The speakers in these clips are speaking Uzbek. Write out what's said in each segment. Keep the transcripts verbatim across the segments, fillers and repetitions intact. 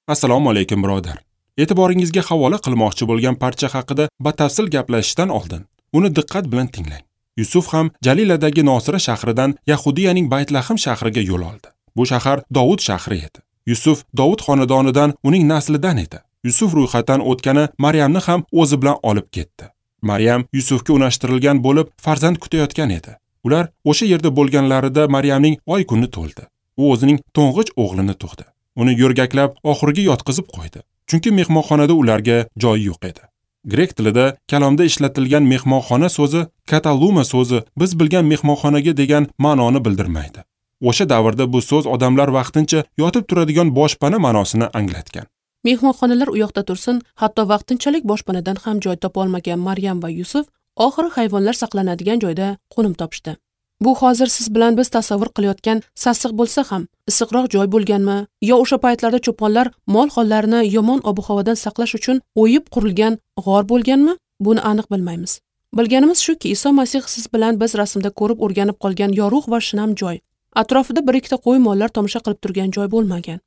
Assalomu alaykum birodar. E'tiboringizga havola qilmoqchi bo'lgan parcha haqida batafsil gaplashishdan oldin uni diqqat bilan tinglang. Yusuf ham Jaliladagi Nosira shahridan Yahudiyaning Baytlahm shahriga yo'l oldi. Bu shahar Dovud shahri edi. Yusuf Dovud xonadonidan, uning naslidan edi. Yusuf ro'yxatdan o'tgani Maryamni ham o'zi bilan olib ketdi. Maryam Yusufga unashtirilgan bo'lib, farzand kutayotgan edi. Ular o'sha yerda bo'lganlarida Maryamning oy kuni to'ldi. U o'zining to'ng'ich o'g'lini tug'di. Uni yo'rgaklab oxirga yotqizib qo'ydi. Chunki mehmonxonada ularga joy yo'q edi. Grek tilida kalomda ishlatilgan mehmonxona so'zi kataluma so'zi biz bilgan mehmonxonaga degan ma'noni bildirmaydi. O'sha davrda bu so'z odamlar vaqtincha yotib turadigan boshpana ma'nosini anglatgan. Mehmonxonalar u yoqda tursin, hatto vaqtinchalik boshpanadan ham joy topa olmagan Maryam va Yusuf oxiri hayvonlar saqlanadigan joyda qo'nim topishdi. Bu hozir siz bilan biz tasavvur qilayotgan sassiq bo'lsa ham, issiqroq joy bo'lganmi yo o'sha paytlarda cho'ponlar mol-hollarini yomon ob-havodan saqlash uchun o'yib qurilgan g'or bo'lganmi? Buni aniq bilmaymiz. Bilganimiz shuki, Iso Masih siz bilan biz rasmda ko'rib o'rganib qolgan yorug' va shinam joy, atrofida bir ikkita qo'y mollar tomosha qilib turgan joy bo'lmagan.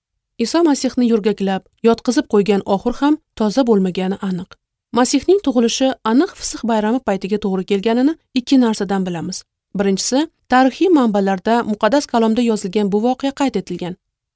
Iso Masihni yo'rgaklab, yotqizib qo'ygan oxur ham toza bo'lmagani aniq. Masihning tug'ilishi aniq Fisix bayrami paytiga to'g'ri kelganini ikki narsadan bilamiz. Birinchisi, tarixiy manbalarda muqaddas kalomda yozilgan bu voqea qayd etilgan.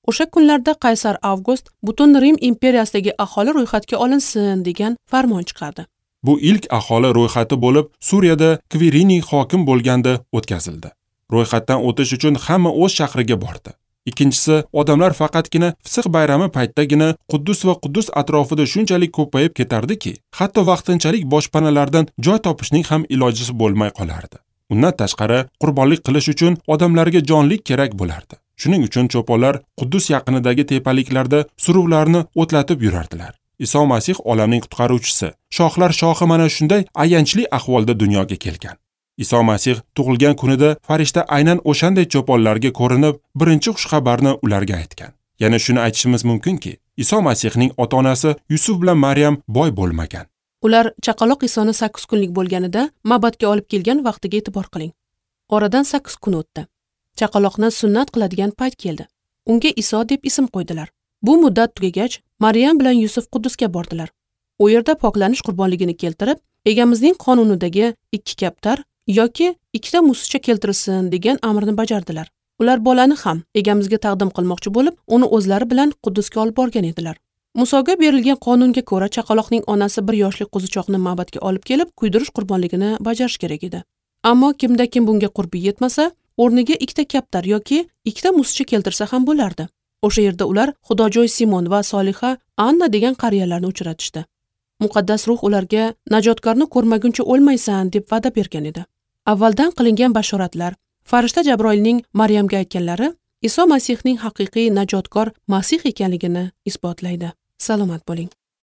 O'sha kunlarda Qaysar Avgust butun Rim imperiyasidagi aholi ro'yxatga olinsin degan farmon chiqardi. Bu ilk aholi ro'yxati bo'lib, Suriyada Kviriniy hokim bo'lganda o'tkazildi. Ro'yxatdan o'tish uchun hamma o'z shahriga bordi. Ikkinchisi, odamlar faqatgina Fisix bayrami paytidagina Quddus va Quddus atrofida shunchalik ko'payib ketardiki, hatto vaqtinchalik boshpanalardan joy topishning ham ilojisi bo'lmay qolardi. Undan tashqari, qurbonlik qilish uchun odamlarga jonlik kerak bo'lardi. Shuning uchun cho'ponlar Quddus yaqinidagi tepaliklarda suruvlarni o'tlatib yurardilar. Iso Masih olamning qutqaruvchisi, shohlar shohi mana shunday ayanchli ahvolda dunyoga kelgan. Iso Masih tug'ilgan kunida farishta aynan o'shanday cho'ponlarga ko'rinib, birinchi xushxabarni ularga aytgan. Yana shuni aytishimiz mumkinki, Iso Masihning ota-onasi Yusuf bilan Maryam boy bo'lmagan. Ular chaqaloq Isoni sakkiz kunlik bo'lganida ma'batga olib kelgan vaqtiga e'tibor qiling. Oradan sakkiz kun o'tdi. Chaqaloqni sunnat qiladigan payt keldi. Unga Iso deb ism qo'ydilar. Bu muddat tugagach, Maryam bilan Yusuf Quddusga bordilar. U yerda poklanish qurbonligini keltirib, egamizning qonunidagi ikki kaptar yoki ikkita musicha keltirilsin degan amrni bajardilar. Ular bolani ham egamizga taqdim qilmoqchi bo'lib, uni o'zlari bilan Quddusga olib borgan edilar. Musoga berilgan qonunga ko'ra chaqaloqning onasi bir yoshli qo'zichoqni ma'batga olib kelib, kuydirish qurbonligini bajarish kerak edi. Ammo kimda kim bunga qurbi yetmasa, o'rniga ikkita kaptar yoki ikkita musicha keltirsa ham bo'lardi. O'sha yerda ular Xudojoy Simon va Soliha Anna degan qariyalarni uchratishdi. Muqaddas ruh ularga najotkorni ko'rmaguncha o'lmaysan deb va'da bergan edi. Avvaldan qilingan bashoratlar, farishta Jabroilning Maryamga aytganlari Iso Masihning haqiqiy najotkor Masih ekanligini isbotlaydi. Salomat bo'ling.